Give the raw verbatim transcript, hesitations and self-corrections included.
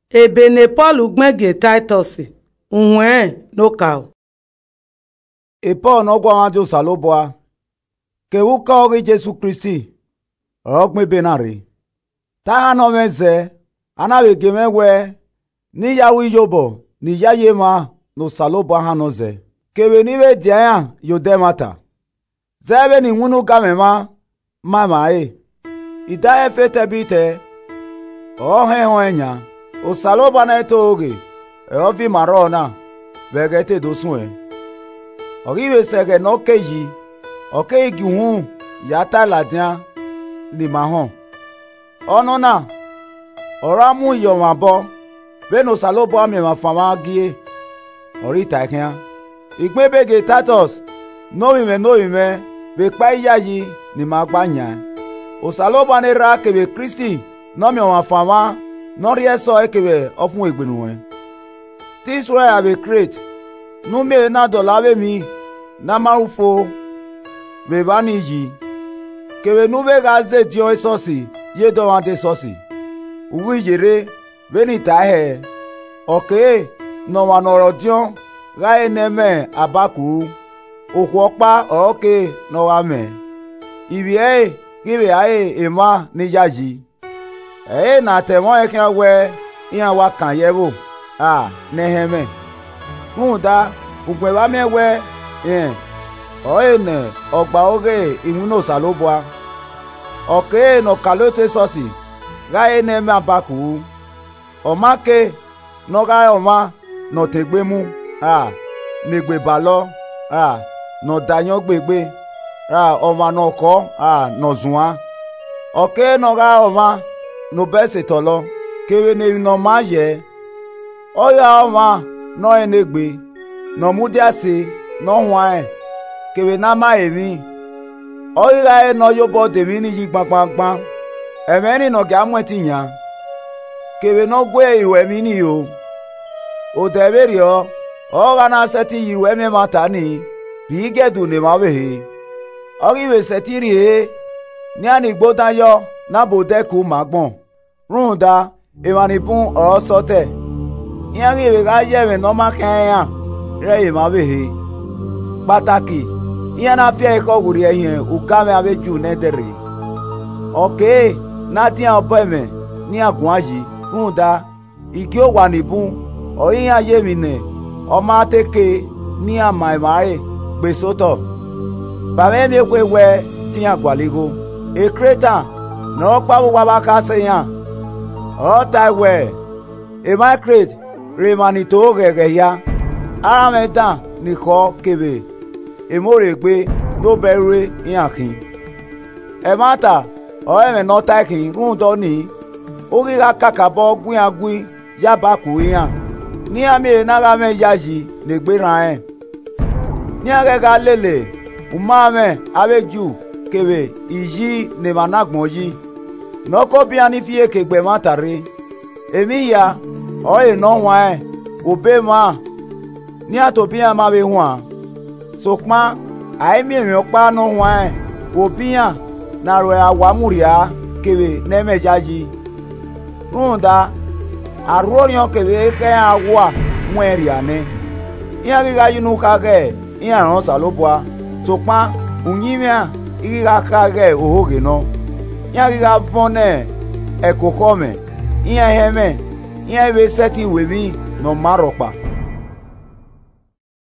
Ebe ne Pọl gbẹn gie Taitọs, uwẹn ne okaro. E Pọl ne ọ guọmwa die Osanobua, kevbe ukọ ghi Jesu Kristi ọre ọ gbẹn ebe na rre. Te a hannọ mwẹ zẹ, a na vbe gie mwẹ wẹẹ, ne I ya ru iyobọ ne iyayi emwa ne Osanobua hannọ zẹ, kevbe ne I vbe dia iran ye odẹ ẹmwata. Zẹ vbene iwinna ugamwẹ mwa ma emwa ẹre, I da ẹfe tẹbitẹ, ọre ọ họn ẹnrẹn yan. Osanobua ne ẹ i to ghe, ọre ọ viọ ima rrọọ na vbe ẹghẹ te do suẹn. Ọ ghi vbe sẹ ẹghẹ ne ọ ke yi, ọ keghi gie uhunmwu ya tae ladian ne ima họn. Ọnọna ọre a mu yi ọmwa obọ, vbene Osanobua miẹn emwa fan mwa gie, ọre I tae khian. I gbẹn ebe gie Taitọs ne ovbi mwẹ ne ovbi mwẹ vbe ekpa iyayi ne ima gba yan. Osanobua ne Erha kevbe Kristi ne ọ miẹn ọmwa fan mwa, ne ọ rhie ẹsọhẹ kevbe ọfumwegbe nuẹn. Te I suẹn ya vbe Kret, ne u miẹn ehe na dọlọ avbe emwi ne a ma ru fo vbe evba ni yi, kevbe ne u vbe gha zediọn esọsi ye edọmwadẹ esọsi. U ghi yerre vbene I tae hẹ, ọ kere ne ọmwa ne ọ re ọdiọn gha re ne ẹ mwẹ abaku ru, okhuo ọkpa ọre ọ kere ne ọ gha mwẹ, ivbi ẹre ghi vbe gha re emwa ni yayi. Ẹ i re ne a ta ẹmwẹ ọnrẹn khian wẹẹ, iran wa kan ye ẹvbo, a, ne ẹ hẹn mwẹ. Rhunmwuda, ugbẹn vbe a miẹn wẹẹ, rẹn ọrọre ne ọ gba oghe iwinna Osanobua, ọ kere ne ọkaolotu esọsi gha re ne ẹ mwẹ abaku ru. Ọ ma kere ne ọ gha re ọmwa ne ọ ta egbe mu, ra ne egbe balọ, ra ne ọ da ayọn gbe egbe, ra ọmwa ne ọ khọọ, ra ne ọ zuan. Ọ kere ne ọ gha re ọmwa ne obọ ẹse tọlọ, kevbe ne emwi ne ọ maa yẹ. Ọ ghi gha re ọmwa ne ọ rẹn enegbe, ne ọ mudia ẹse ne ọ huanrẹn, kevbe ne a ma re emwi. Ọ ghi gha re ne ọ ye obọ da emwi ni yi gbangbangban, ẹmwẹ ni ne ọ gia mu ẹtin yan, kevbe ne ọ gu iruẹmwi ni ro. Odẹ vberriọ ọre ọ gha na sẹtin yi iruẹmwi ẹmwata ni rhie igiẹdu ne emwa ọvbehe. Ọ ghi vbe sẹtin rhie ehe, ne iran ni gbe odan yọ na bu odẹ ku ma agbọn. Rhunmwuda, emwa ni bun ọre ọ sẹ otọ, iran ghi vbe gha ya ẹmwẹ ne ọ ma khian iran rre ye emwa ọvbehe. Kpataki, iran na fi ẹre khẹ ọghe urhie hin ugamwẹ avbe Ju nẹdẹrhe. Ọ kere ne a dian obọ ẹmwẹ ne iran guan yi, rhunmwuda, igie owa ni bun ọre iran ye emwi ne ọ ma te ke ne iran ma emwa ẹre gbe sẹ otọ. Ba mwẹ miẹn ekhue wẹẹ te iran gualọ igho. Kreta ne ọ re ọkpa vbe owa vbe akhasẹ iran, ọre ọ tae wẹẹ, emwa Kret re emwa ni to ghẹghẹ hia, aranmwẹ dan ni khọọ kevbe emọ rre egbe ne obọ ẹre ru iran khin. Ẹmwata ọre ẹmwẹ ne ọ tae khin, rhunmwuda ọnii, u ghi gha kakabọ gu iran gui ya abaku iran, ne iran miẹn ehe na gha mwẹ iyayi ne egbe erhan rẹn. Ne iran ghẹ gha lele uma mwẹ avbe Ju kevbe iyi ne emwa na gbọn yi, ne ọ ke obọ iran ni fi iyeke gbe ẹmwata rre. Emwi hia ọrọre ne ọ huanrẹn vbe obọ emwa ne iran tobọ iran ma vbe huan. Sokpan, a i miẹn emwi ọkpa ne ọ huanrẹn vbe obọ iran ne a ru ẹre awa mu rhia kevbe ne ẹ i mwẹ iyayi. Rhunmwuda, a rhuo orhiọn kevbe ekhẹ iran awa mu ẹn rhia nẹ. Iran ghi gha ye unu kha ghẹ iran rẹn Osanobua, sokpan uyinmwẹ iran i ghi gha kha ghẹ ohoghe nọ. Iran ghi gha vọn ne ẹko khọ mwẹ, iran i hẹn mwẹ, iran i vbe sẹtin ru emwi ne ọ ma rhọkpa.